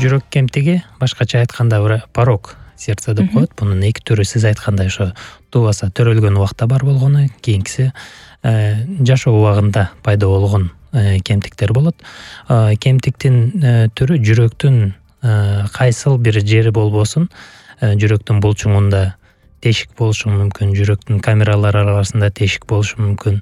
жүрөк кемтиги башкача айтканда порок сердца деп коет. Бунун эки түрү сиз айткандай ошо тубаса төрөлгөн убакта бар болгону, кийинкиси жашоо убагында пайда болгон кемтиктер болот. Кемтиктин түрү жүрөктүн кайсыл бир жери болбосун, жүрөктүн булчуңунда тешик болушу мүмкүн, жүрөктүн камералары арасында тешик болушу мүмкүн.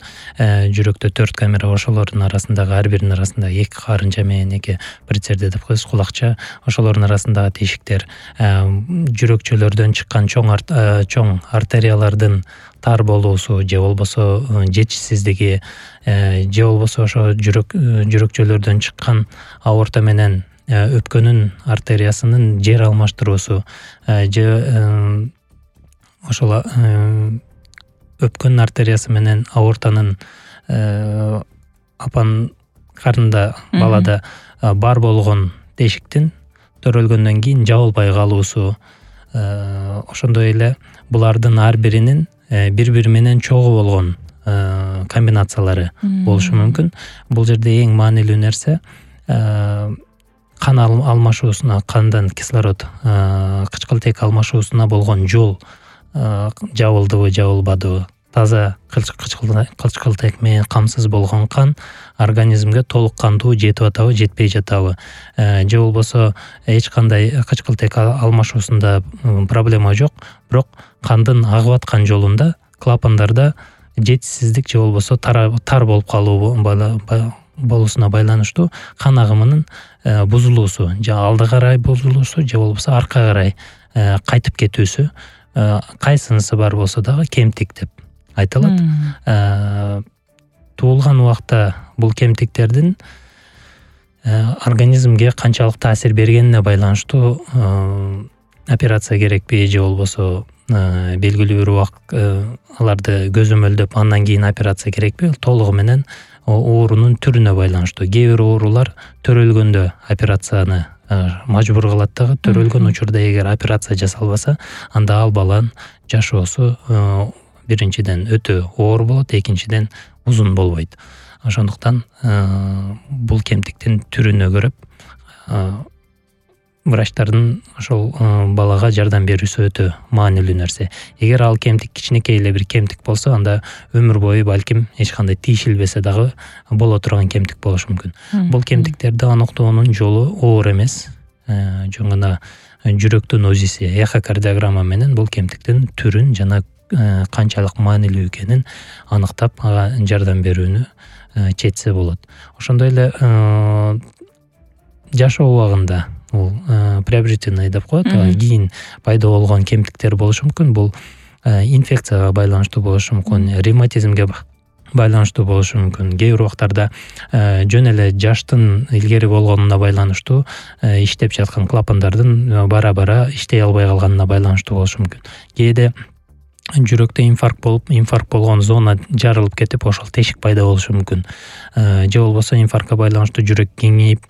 Жүрөктө 4 камера, ошолордун арасындагы ар биринин арасында 2 карынча менен 2 прицерде деп коебуз, кулакча, ошолордун арасындагы тешиктер, жүрөкчөлөрдөн чыккан чоң артериялардын тар болуусу же болбосо жетишсиздиги, же болбосо ошо жүрөкчөлөрдөн чыккан аорта менен өпкөнүн артериясынын жер алмаштыруусу, же ошол өпкөн артериясы менен аортанын апан карында балада бар болгон тешиктин төрөлгөндөн кийин жабылбай калуусу, ошондой эле булардын ар биринин бири-бири менен чогуу болгон комбинациялары болушу мүмкүн. Бул жерде эң маанилүү нерсе кан алмашуусуна, кандан кислород, кычкылтек алмашуусуна болгон жол жабылдыбы, жабылбадыбы, таза кычкылтек менен камсыз болгон кан организмге толук кандуу жетип атабы, жетпей жатабы, же болбосо эч кандай кычкылтек алмашуусунда проблема жок, бирок кандын агып аткан жолунда, клапандарда жетишсиздик же болбосо тар болуп болуусуна байланыштуу кан агымынын бузулуусу, же алды карай бузулуусу, же болбосо арка карай кайтып кетүүсү, кайсынысы бар болсо дагы кемтик деп айтылат. Туулган убакта бул кемтиктердин организмге канчалык таасир бергенине байланыштуу операция керекпи, же болбосо белгилүү бир убакыт аларды көзөмөлдөп андан кийин операция керекпи, толугу менен оорунун түрүнө байланыштуу. Кээ бир оорулар төрөлгөндө операцияны мажбур кылат дагы, төрөлгөн учурда эгер операция жасалбаса, анда ал баланын жашоосу биринчиден өтө оор болот, экинчиден узун болбойт. Ошондуктан бул кемтиктин түрүнө көрөп врачтардын ошол балага жардам берүүсү өтө маанилүү нерсе. Эгер ал кемтик кичинекей эле бир кемтик болсо, анда өмүр бою балким эч кандай тийшилбесе дагы боло турган кемтик болушу мүмкүн. Бул кемтиктерди аныктоонун жолу оор эмес. Жөн гана жүрөктүн УЗИси, эхокардиограмма менен бул кемтиктин түрүн жана канчалык маанилүү экенин аныктап, ага жардам берүүнү четсе болот. Ошондой эле жашоо убагында бул приобретенный деп коет, кийин пайда болгон кемтиктер болушу мүмкүн. Бул инфекцияга байланыштуу болушу мүмкүн, ревматизмге байланыштуу болушу мүмкүн. Кээ бир убактарда жөн эле жаштын илгери болгонуна байланыштуу иштеп жаткан клапандардын бара-бара иштей албай калганына байланыштуу болушу мүмкүн. Кээде жүрөктө инфаркт болгон зона жарылып кетип, ошол тешик пайда болушу мүмкүн. Же болбосо инфарктка байланыштуу жүрөк кеңейип,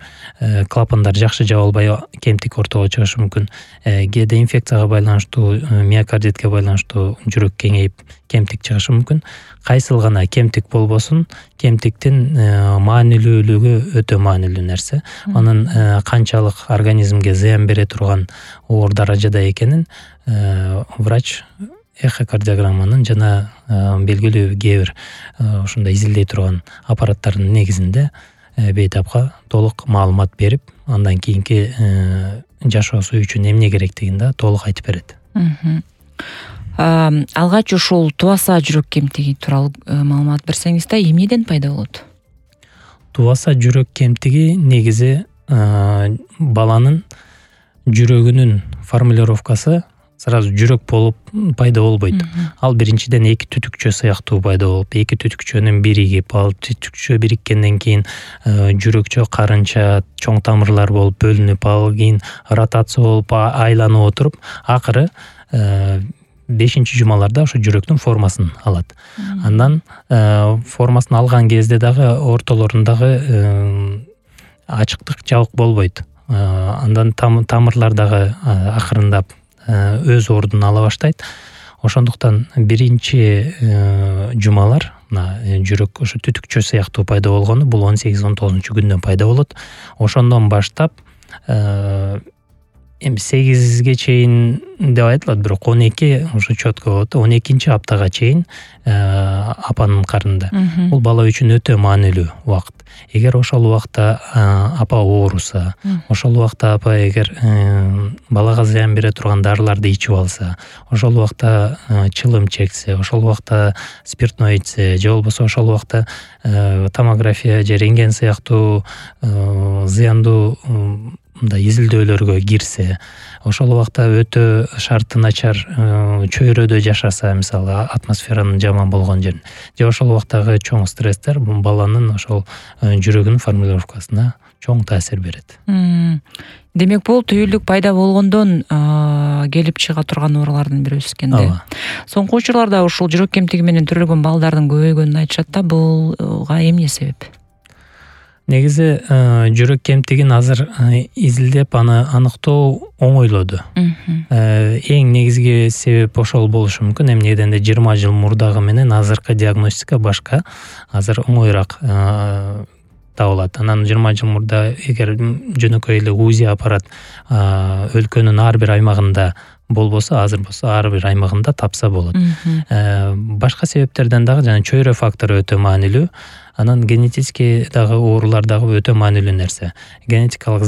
клапандар жакшы жабылбай кемтик ортого чыгышы мүмкүн. Кээде инфекцияга байланыштуу, миокардитке байланыштуу жүрөк кеңейип, кемтик чыгышы мүмкүн. Кайсыл гана кемтик болбосун, кемтиктин маанилүүлүгү өтө маанилүү нерсе. Анын канчалык организмге зыян бере турган оор даражада экенин врач эхокардиограмманын жана белгилүү кээ бир ушундай изилдей турган аппараттардын негизинде бейтапка толук маалымат берип, андан кийинки жашоосу үчүн эмне керектигин да толук айтып берет. Алгач ушул тубаса жүрөк кемтиги тууралуу маалымат берсеңиз да, эмнеден пайда болот? Тубаса жүрөк кемтиги негизи баланын жүрөгүнүн формулировкасы сразу жүрөк болуп пайда болбойт. Ал биринчиден эки түтүкчө сыяктуу пайда болуп, эки түтүкчөнүн биригип, ал түтүкчө бириккенден кийин жүрөкчө карынча чоң тамырлар болуп бөлүнүп, ал кийин ротация болуп айланып отуруп, акыры 5-чи жумаларда ошо жүрөктүн формасын алат. Андан формасын алган кезде дагы ортолорундагы ачыктык жабык болбойт. Андан тамырлар дагы акырындап өз ордун ала баштайт. Ошондуктан биринчи жумалар жүрөк ошо түтүкчө сыяктуу пайда болгону бул 18-19 күндөн пайда болот. Ошондон баштап эми 8-ге чейин деп айтылат, бирок 12 уже четко болот. 12-нчи аптага чейин апанын карнында. Бул бала үчүн өтө маанилүү убакыт. Эгер ошол убакта апа ооруса, ошол убакта апа эгер балага зыян бере турган дарыларды ичип алса, ошол убакта чылым чексе, ошол убакта спиртной ичсе, же болбосо ошол убакта томография же рентген сыяктуу зыяндуу изилдөөлөргө кирсе, ошол убакта өтө шарты начар чөйрөдө жашаса, мисалы атмосферанын жаман болгон жерин, же ошол убактагы чоң стресстер бул баланын ошол жүрөгүнүн формулировкасына чоң таасир берет. Демек бул түйүлдүк пайда болгондон келип чыга турган оорулардын бирөөсү экен да. Соңку учурларда ушул жүрөк кемтиги менен төрөлгөн балдардын көбөйгөнүн айтышат да, булга эмне себеп? Негизи жүрөк кемтигин азыр изилдеп аны аныктоо оңойлоду. Эң негизги себеп ошол болушу мүмкүн. Эмне дегенде 20 жыл мурдагы менен азыркы диагностика башка, азыр оңоюраак табылат. Анан 20 жыл мурда эгер жөнөкөй эле УЗИ аппарат өлкөнүн ар бир аймагында болбосо, азыр болсо ар бир аймагында тапса болот. Башка себептерден дагы жана чөйрө фактору өтө маанилүү. Анан генетический дагы оорулар дагы өтө маанилүү нерсе. Генетикалык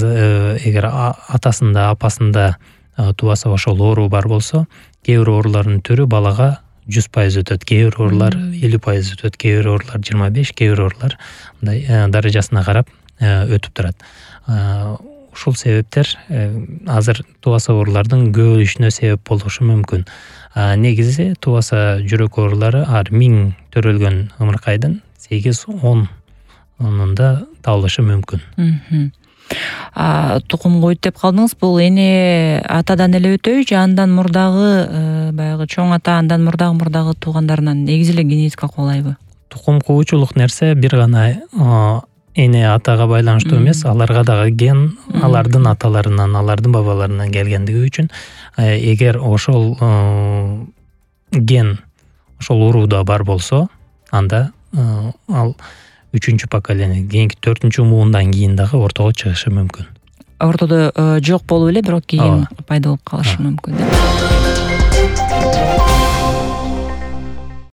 эгер атасында, апасында тубаса ошол оору бар болсо, кээ бир оорулардын түрү балага 100% өтөт, кээ бир оорулар 50% өтөт, кээ бир оорулар 25, кээ бир оорулар мындай даражасына карап өтүп турат. Ушул себептер азыр тубаса оорулардын көбөйүшүнө себеп болушу мүмкүн. Негизи тубаса жүрөк оорулары ар 1000 төрөлгөн ымыркайдын 8-10 табылышы мүмкүн. Тукум коyut деп калдыңыз. Бул эне атадан эле өтөбү же андан мурдагы баягы чоң ата, андан мурдагы туугандарынан негизи эле генетика куулайбы? Тукум куучулук нерсе бир гана эне атага байланыштуу эмес, аларга дагы ген алардын аталарынан, алардын бабаларынан келгендиги үчүн эгер ошол ген ошол урууда бар болсо, анда ал 3-чү поколение, кийинки 4-чү муундан кийин дагы ортого чыгышы мүмкүн. Ортодо жок болуп эле, бирок кийин пайда болуп калышы мүмкүн.